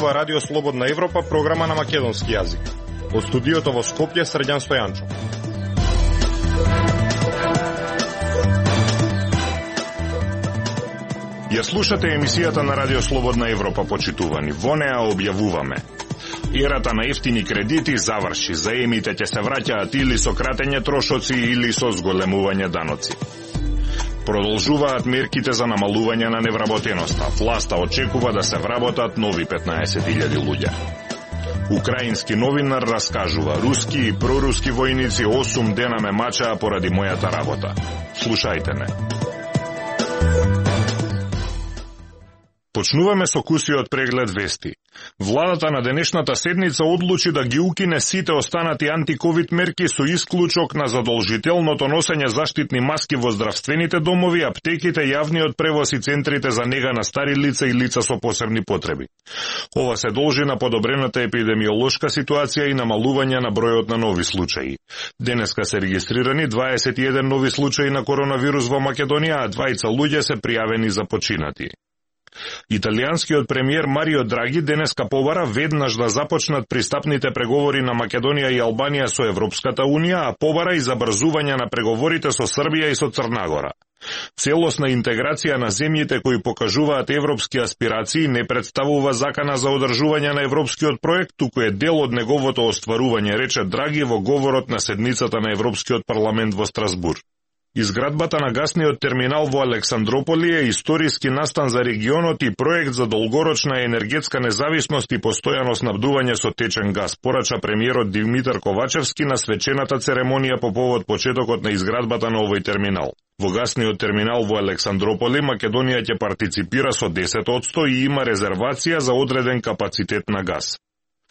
слушнува Радио Слободна Европа, програма на македонски јазик. Од студиото во Скопје, Срđan Стојанчов. Ја слушате емисијата на Радио Слободна Европа, почитувани. Во неа објавуваме: ерата на ефтини кредити заврши, заемите ќе се враќаат или со кратење трошоци или со зголемување даноци. Продолжуваат мерките за намалување на невработеноста. Власта очекува да се вработат нови 15.000 луѓе. Украински новинар раскажува: руски и проруски војници 8 дена ме мачаа поради мојата работа. Слушајте не. Почнуваме со кусиот преглед вести. Владата на денешната седница одлучи да ги укине сите останати антиковид мерки со исклучок на задолжителното носење заштитни маски во здравствените домови, аптеките, јавниот превоз и центрите за нега на стари лица и лица со посебни потреби. Ова се должи на подобрената епидемиолошка ситуација и намалување на бројот на нови случаи. Денеска се регистрирани 21 нови случаи на коронавирус во Македонија, а 2 луѓе се пријавени за починати. Италијанскиот премиер Марио Драги денеска побара веднаш да започнат пристапните преговори на Македонија и Албанија со Европската Унија, а побара и забрзување на преговорите со Србија и со Црна Гора. Целосна интеграција на земјите кои покажуваат европски аспирации не представува закана за одржување на европскиот проект, туку е дел од неговото остварување, рече Драги во говорот на седницата на Европскиот парламент во Страсбург. Изградбата на гасниот терминал во Александрополи е историски настан за регионот и проект за долгорочна енергетска независност и постојано снабдување со течен газ, порача премиерот Димитар Ковачевски на свечената церемонија по повод почетокот на изградбата на овој терминал. Во гасниот терминал во Александрополи Македонија ќе партиципира со 10% и има резервација за одреден капацитет на газ.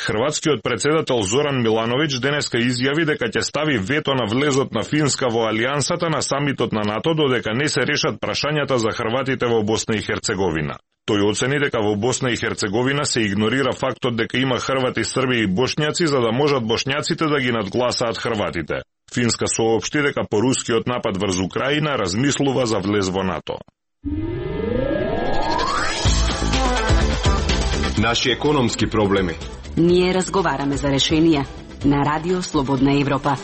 Хрватскиот председател Зоран Милановиќ денеска изјави дека ќе стави вето на влезот на Финска во алијансата на самитот на НАТО додека не се решат прашањата за хрватите во Босна и Херцеговина. Тој оцени дека во Босна и Херцеговина се игнорира фактот дека има хрвати, срби и бошњаци за да можат бошњаците да ги надгласаат хрватите. Финска соопшти дека по рускиот напад врз Украина размислува за влез во НАТО. Наши економски проблеми. Ние разговараме за решенија на Радио Слободна Европа.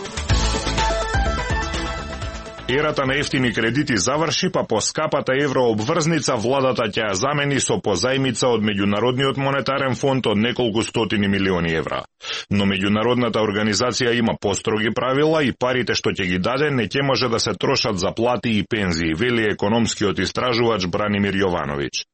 Ерата на ефтини кредити заврши, па по скапата еврообврзница владата ќе ја замени со позајмица од Меѓународниот монетарен фонд од неколку стотини милиони евра. Но меѓународната организација има построги правила и парите што ќе ги даде не ќе може да се трошат за плати и пензии, вели економскиот истражувач Бранимир Јовановиќ.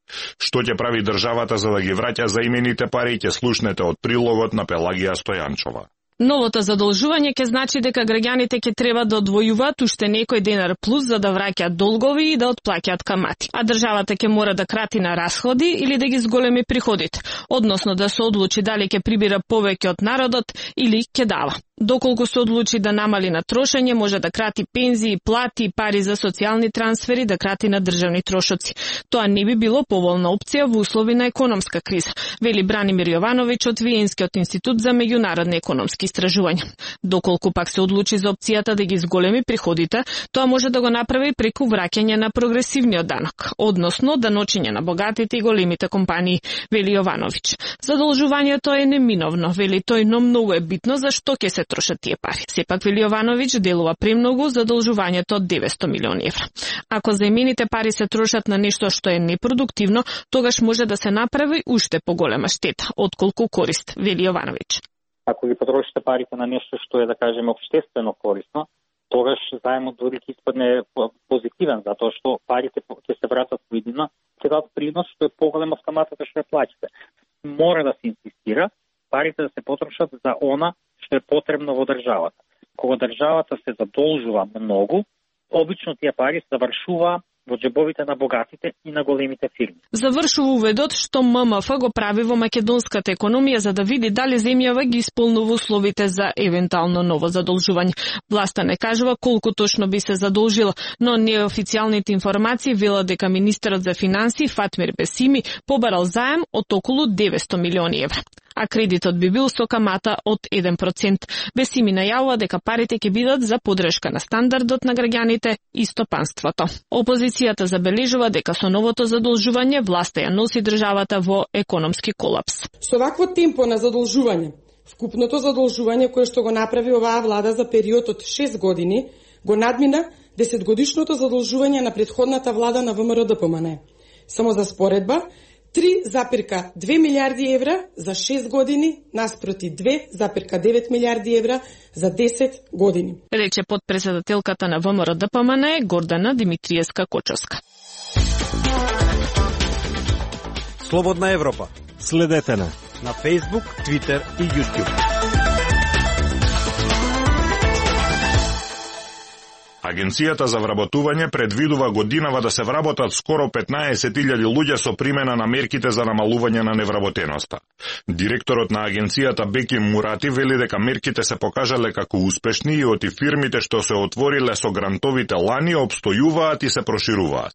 Што ќе прави државата за да ги враќа заимените пари ќе слушнете од прилогот на Пелагија Стојанчова. Новото задолжување ќе значи дека граѓаните ќе треба да одвојуваат уште некој денар плюс за да враќаат долгови и да отплаќаат камати. А државата ќе мора да крати на расходи или да ги зголеми приходите, односно да се одлучи дали ќе прибира повеќе од народот или ќе дава. Доколку се одлучи да намали на трошење, може да крати пензии, плати, пари за социјални трансфери, да крати на државни трошоци. Тоа не би било поволна опција во услови на економска криза, вели Бранимир Јовановиќ од Виенскиот институт за меѓународни економски истражувања. Доколку пак се одлучи за опцијата да ги зголеми приходите, тоа може да го направи преку враќање на прогресивниот данок, односно даночење на богатите и големите компании, вели Јовановиќ. Задолжувањето е неминовно, вели тој, но многу е битно зашто ќе се трошат тие пари. Сепак, вели Јовановиќ, делува премногу задолжувањето од 900 милиони евра. Ако заимените пари се трошат на нешто што е непродуктивно, тогаш може да се направи уште поголема штета, отколку корист, вели Јовановиќ. Ако ги потрошите парите на нешто што е, да кажеме, општествено корисно, тогаш заемот дори ќе испадне позитивен, затоа што парите ќе се вратат во иднина, ќе дадат принос што е поголем од каматата што ја плаќате. Мора да се инсистира парите да се потрошат за она што е потребно во државата. Кога државата се задолжува многу, обично тие пари завршува во џебовите на богатите и на големите фирми. Завршува уведот што ММФ го прави во македонската економија за да види дали земјава ги исполнува условите за евентуално ново задолжување. Власта не кажува колку точно би се задолжила, но неофицијалните информации велат дека министерот за финансии Фатмир Бесими побарал заем од околу 900 милиони евра. а кредитот би бил со камата од 1%. Бесими најавува дека парите ќе бидат за поддршка на стандардот на граѓаните и стопанството. Опозицијата забележува дека со новото задолжување власта ја носи државата во економски колапс. Со вакво темпо на задолжување, вкупното задолжување кое што го направи оваа влада за период од 6 години, го надмина 10-годишното задолжување на претходната влада на ВМРО-ДПМН. Само за споредба, 3,2 милиарди евра за 6 години наспроти 2,9 милиарди евра за 10 години. Рече подпредседателката на ВМРО-ДПМН Гордана Димитриевска-Кочовска. Слободна Европа. Следете на Facebook, Twitter и YouTube. Агенцијата за вработување предвидува годинава да се вработат скоро 15.000 луѓе со примена на мерките за намалување на невработеноста. Директорот на агенцијата Беки Мурати вели дека мерките се покажале како успешни и оти фирмите што се отвориле со грантовите лани обстојуваат и се прошируваат.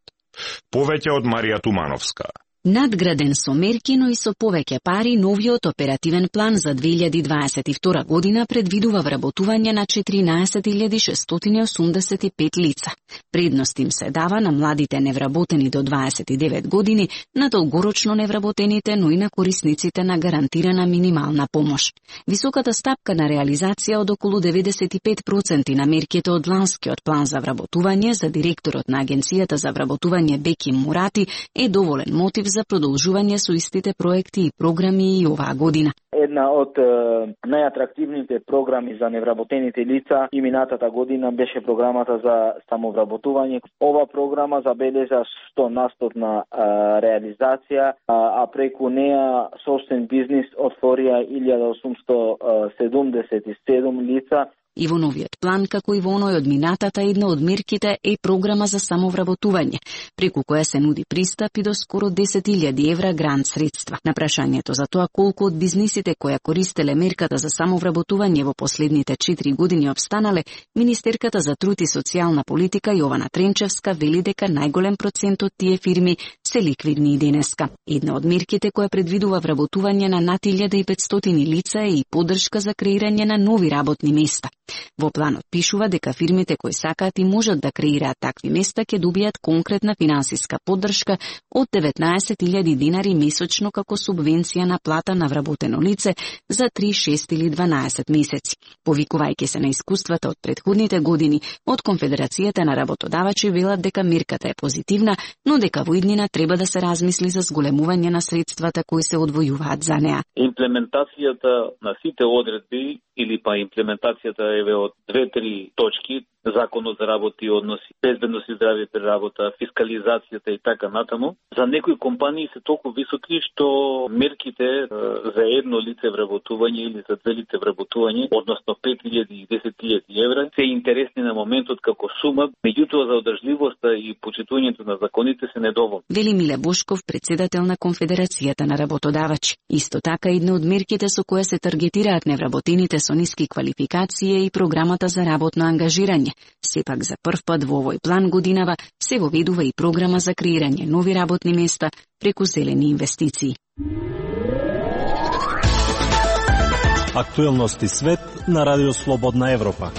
Повеќе од Марија Тумановска. Надграден со мерки, но и со повеќе пари, новиот оперативен план за 2022 година предвидува вработување на 14.685 лица. Предност им се дава на младите невработени до 29 години, на долгорочно невработените, но и на корисниците на гарантирана минимална помош. Високата стапка на реализација од околу 95% на мерките од ланскиот план за вработување за директорот на Агенцијата за вработување Беки Мурати е доволен мотив за продолжување со истите проекти и програми и оваа година. Една од најатрактивните програми за невработените лица и минатата година беше програмата за самовработување. Ова програма забележа 100% реализација, а преку неа собствен бизнис отворија 1877 лица. И во новиот план, како и во оној од минатата, една од мерките е програма за самовработување, преку која се нуди пристап и до скоро 10.000 евра грант средства. На прашањето за тоа колку од бизнисите која користеле мерката за самовработување во последните 4 години обстанале, министерката за труд и социјална политика Јована Тренчевска вели дека најголем процент од тие фирми се ликвидни и денеска. Една од мерките која предвидува вработување на над 1500 лица е и поддршка за креирање на нови работни места. Во планот пишува дека фирмите кои сакаат и можат да креираат такви места ќе добијат конкретна финансиска поддршка од 19.000 динари месечно како субвенција на плата на вработено лице за 3, 6 или 12 месеци. Повикувајќи се на искуствата од претходните години, од Конфедерацијата на работодавачи велат дека мерката е позитивна, но дека во иднина треба да се размисли за зголемување на средствата кои се одвојуваат за неа. Имплементацијата на сите одредби или па имплементацијата еве од 2-3 точки, законот за работи и односи, безбедност и здравје при работа, фискализацијата и така натаму, за некои компании се толку високи што мерките за едно лице вработување или за две лице вработување, односно 5.000 и 10.000 евра, се интересни на моментот како сума, меѓутоа за одржливоста и почитувањето на законите се недоволни. Вели Миле Бошков, председател на Конфедерацијата на работодавачи. Исто така една од мерките со која се таргетираат невработените со ниски квалификации и програмата за работно ангажирање. Сепак за прв пат во овој план годинава се воведува и програма за креирање нови работни места преку зелени инвестиции. Актуелности свет на Радио Слободна Европа.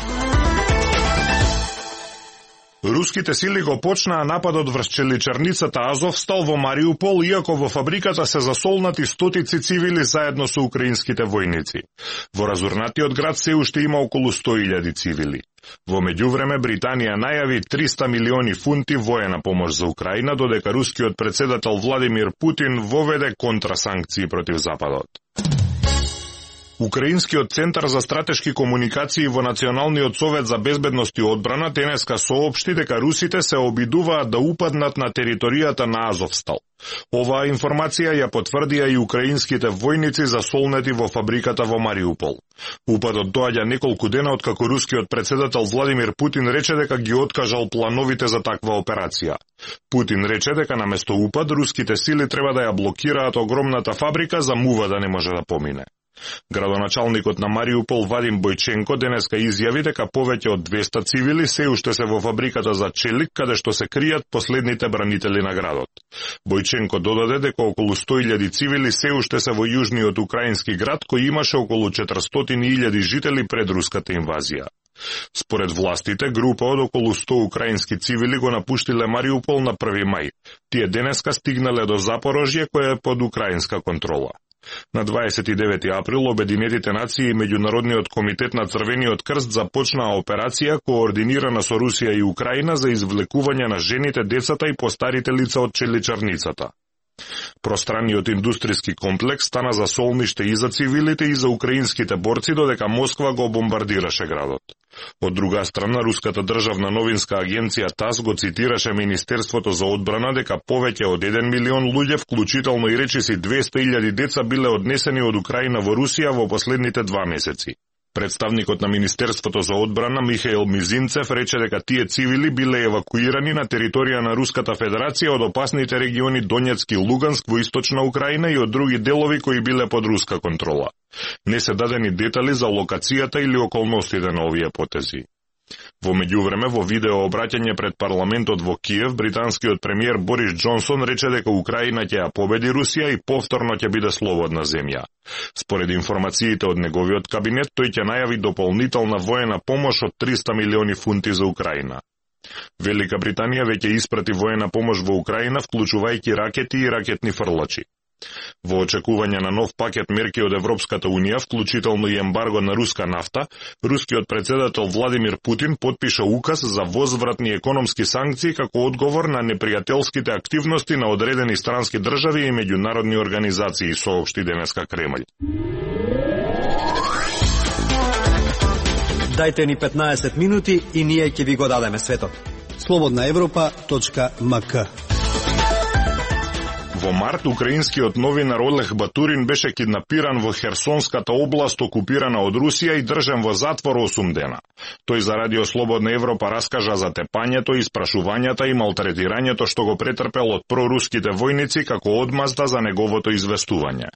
Руските сили го почнаа нападот врз челичарницата Азовстал во Мариупол, иако во фабриката се засолнати стотици цивили заедно со украинските војници. Во разурнатиот град се уште има околу 100.000 цивили. Во меѓувреме Британија најави 300 милиони фунти воена помош за Украина, додека рускиот председател Владимир Путин воведе контрасанкции против Западот. Украинскиот центар за стратешки комуникации во Националниот совет за безбедност и одбрана денеска соопшти дека русите се обидуваат да упаднат на територијата на Азовстал. Оваа информација ја потврдија и украинските војници засолнети во фабриката во Мариупол. Упадот доаѓа неколку дена откако рускиот председател Владимир Путин рече дека ги откажал плановите за таква операција. Путин рече дека наместо упад руските сили треба да ја блокираат огромната фабрика за мува да не може да помине. Градоначалникот на Мариупол Вадим Бојченко денеска изјави дека повеќе од 200 цивили се уште се во фабриката за челик, каде што се кријат последните бранители на градот. Бојченко додаде дека околу 100.000 цивили се уште се во јужниот украински град, кој имаше околу 400.000 жители пред руската инвазија. Според властите, група од околу 100 украински цивили го напуштиле Мариупол на 1 мај. Тие денеска стигнале до Запорожје, кој е под украинска контрола. На 29 април Обединетите нации и Меѓународниот комитет на Црвениот крст започнаа операција координирана со Русија и Украина за извлекување на жените, децата и постарите лица од челичарницата. Пространниот индустријски комплекс стана за солниште и за цивилите и за украинските борци, додека Москва го бомбардираше градот. Од друга страна, руската државна новинска агенција ТАСС го цитираше Министерството за одбрана дека повеќе од 1 милион луѓе, вклучително и речиси 200.000 деца, биле однесени од Украина во Русија во последните 2 месеци. Представникот на Министерството за одбрана Михаил Мизинцев рече дека тие цивили биле евакуирани на територија на Руската Федерација од опасните региони Донецк и Луганск во источна Украина и од други делови кои биле под руска контрола. Не се дадени детали за локацијата или околностите на овие потези. Во меѓувреме, во видео обраќање пред парламентот во Киев, британскиот премиер Борис Џонсон рече дека Украина ќе ја победи Русија и повторно ќе биде слободна земја. Според информациите од неговиот кабинет, тој ќе најави дополнителна воена помош од 300 милиони фунти за Украина. Велика Британија веќе испрати воена помош во Украина, вклучувајќи ракети и ракетни фрлачи. Во очекување на нов пакет мерки од Европската Унија, вклучително и ембарго на руска нафта, рускиот председател Владимир Путин потпиша указ за возвратни економски санкции како одговор на непријателските активности на одредени странски држави и меѓународни организации, соопшти денеска Кремљ. Дајте ни 15 минути и ние ќе ви го дадеме светот. slobodnaevropa.mk. Во март, украинскиот новинар Олег Батурин беше киднапиран во Херсонската област, окупирана од Русија, и држан во затвор 8 дена. Тој за Радио Слободна Европа раскажа за тепањето, испрашувањата и малтретирањето што го претрпел од проруските војници како одмазда за неговото известување.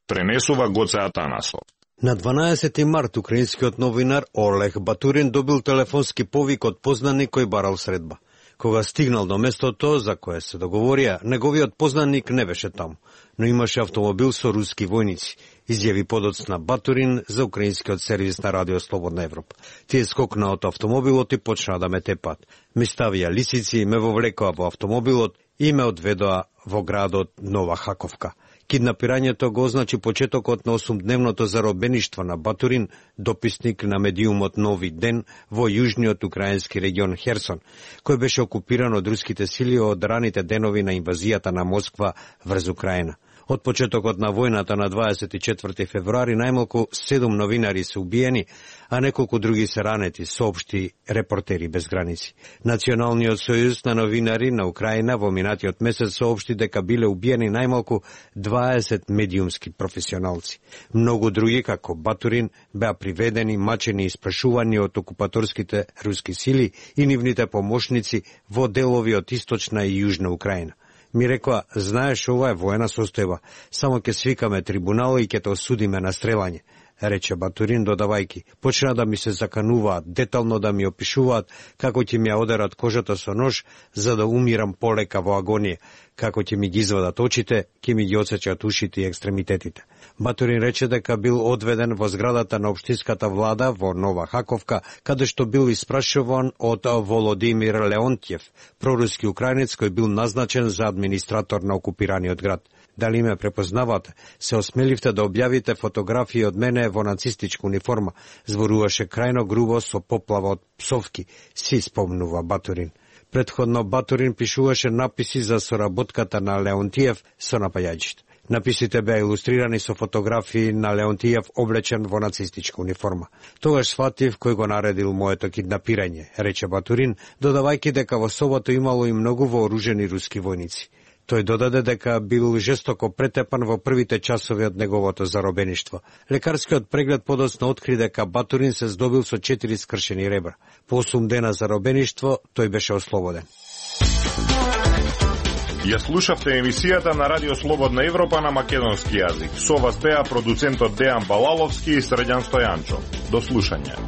Пренесува Гоце Атанасов. На 12 март украинскиот новинар Олег Батурин добил телефонски повик од познаник кој барал средба. Кога стигнал до местото за кое се договорија, неговиот познаник не беше таму, но имаше автомобил со руски војници, изјави подоцна Батурин за украинскиот сервис на Радио Слободна Европа. Тие скокнаа од автомобилот и почнаа да ме тепат. Ме ставија лисици, ме вовлекоа во автомобилот и ме одведоа во градот Нова Хаковка. Киднапирањето го означи почетокот на 8-дневното заробеништво на Батурин, дописник на медиумот Нови ден во јужниот украински регион Херсон, кој беше окупиран од руските сили од раните денови на инвазијата на Москва врз Украина. Од почетокот на војната на 24 февруари најмалку 7 новинари се убиени, а неколку други се ранети, соопшти Репортери без граници. Националниот сојуз на новинари на Украина во минатиот месец соопшти дека биле убиени најмалку 20 медиумски професионалци. Многу други, како Батурин, беа приведени, мачени и испрашувани од окупаторските руски сили и нивните помошници во делови од источна и јужна Украина. Ми рекоа, знаеш, ова е воена состојба, само ќе свикаме трибунал и ќе те осудиме на стрелање, рече Батурин, додавајки. Почна да ми се закануваат, детално да ми опишуваат како ќе ми ја одерат кожата со нож, за да умирам полека во агонија, како ќе ми ги извадат очите, ќе ми ги отсечат ушите и екстремитетите. Батурин рече дека бил одведен во зградата на општинската влада во Нова Хаковка, каде што бил испрашуван од Володимир Леонтјев, проруски украинец кој бил назначен за администратор на окупираниот град. Дали ме препознавате? Се осмеливте да објавите фотографии од мене во нацистичка униформа, зборуваше крајно грубо со поплава од псовки, си спомнува Батурин. Предходно Батурин пишуваше написи за соработката на Леонтиев со напаѓачите. Написите беа илустрирани со фотографии на Леонтиев облечен во нацистичка униформа. Тогаш сватив кој го наредил моето киднапирање, рече Батурин, додавајќи дека во собото имало и многу вооружени руски војници. Тој додаде дека бил жестоко претепан во првите часови од неговото заробеништво. Лекарскиот преглед подоцна откри дека Батурин се здобил со 4 скршени ребра. По 8 дена заробеништво тој беше ослободен. Ја слушавте емисијата на Радио Слободна Европа на македонски јазик. Со вас беа продуцентот Дејан Балаловски и Срđan Стојанчо. До слушање.